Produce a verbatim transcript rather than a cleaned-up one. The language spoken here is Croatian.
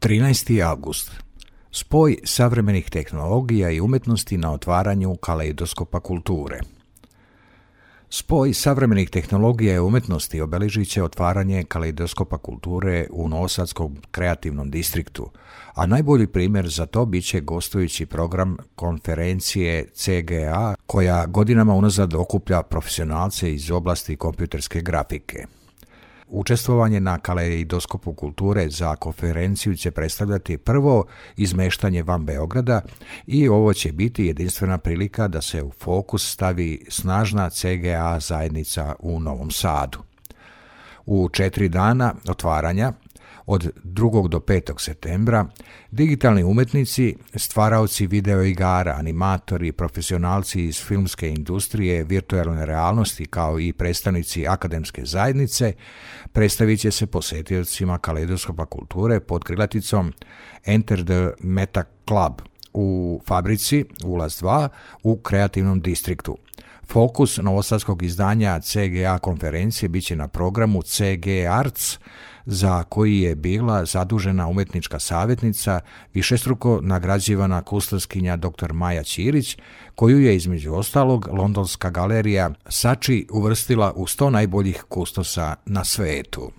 trinaesti avgust. Spoj savremenih tehnologija i umjetnosti na otvaranju kaleidoskopa kulture. Spoj savremenih tehnologija i umjetnosti obilježit će otvaranje kaleidoskopa kulture u Novosadskom kreativnom distriktu, a najbolji primjer za to bit će gostujući program konferencije C G A koja godinama unazad okuplja profesionalce iz oblasti kompjuterske grafike. Učestvovanje na kaleidoskopu kulture za konferenciju će predstavljati prvo izmeštanje van Beograda i ovo će biti jedinstvena prilika da se u fokus stavi snažna C G A zajednica u Novom Sadu. U četiri dana otvaranja, od drugog do petog septembra, digitalni umjetnici, stvaraoci videoigara, animatori, profesionalci iz filmske industrije, virtualne realnosti kao i predstavnici akademske zajednice predstavit će se posjetiocima kaleidoskopa kulture pod krilaticom Enter the Meta Club u fabrici Ulaz dva u kreativnom distriktu. Fokus novosadskog izdanja C G A konferencije bit će na programu C G Arts, za koji je bila zadužena umjetnička savjetnica, višestruko nagrađivana kustoskinja dr. Maja Ćirić, koju je između ostalog Londonska galerija Saatchi uvrstila u sto najboljih kustosa na svijetu.